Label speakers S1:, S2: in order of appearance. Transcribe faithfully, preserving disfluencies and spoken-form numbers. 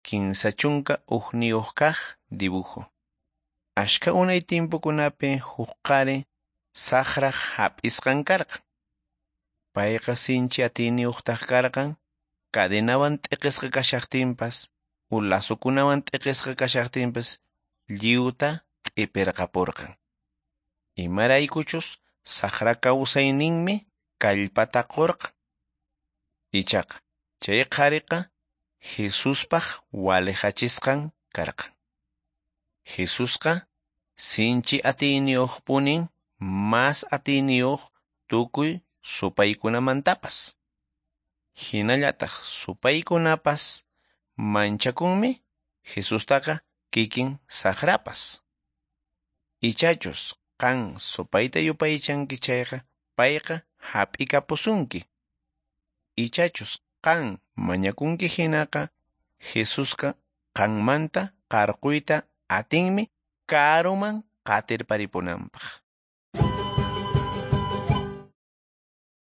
S1: Kinsa chunka hukniyuq kaq dibujo. Ashka unay timpukunapi huk qhari saqraq hap'isqan karqan. Payqa sinchi atiyniyuqtaq karqan, cadenawan t'iqisqa kashaqtinpas, u lazukunawan t'iqisqa kashaqtinpas lliwta t'ipirqapurqan. Imaraykuchus saqra kawsayninmi kallpata qurqan. Ichaqa chay qhariqa Jesuspaq walejachisqan karqan. Jesusqa sinchi atiyniyuqpunin mas atiyniyuq tukuy supaykunamantapas. Hinallataq supaykunapas manchakunmi Jesustaqa kikin saqrapas. Ichachus qan supayta yupaychanki chayqa payqa hap'ikapusunki. Ichachus qan mañakunki hinaqa Jesusqa qanmanta qarquyta atinmi karuman qatirparipunanpaq.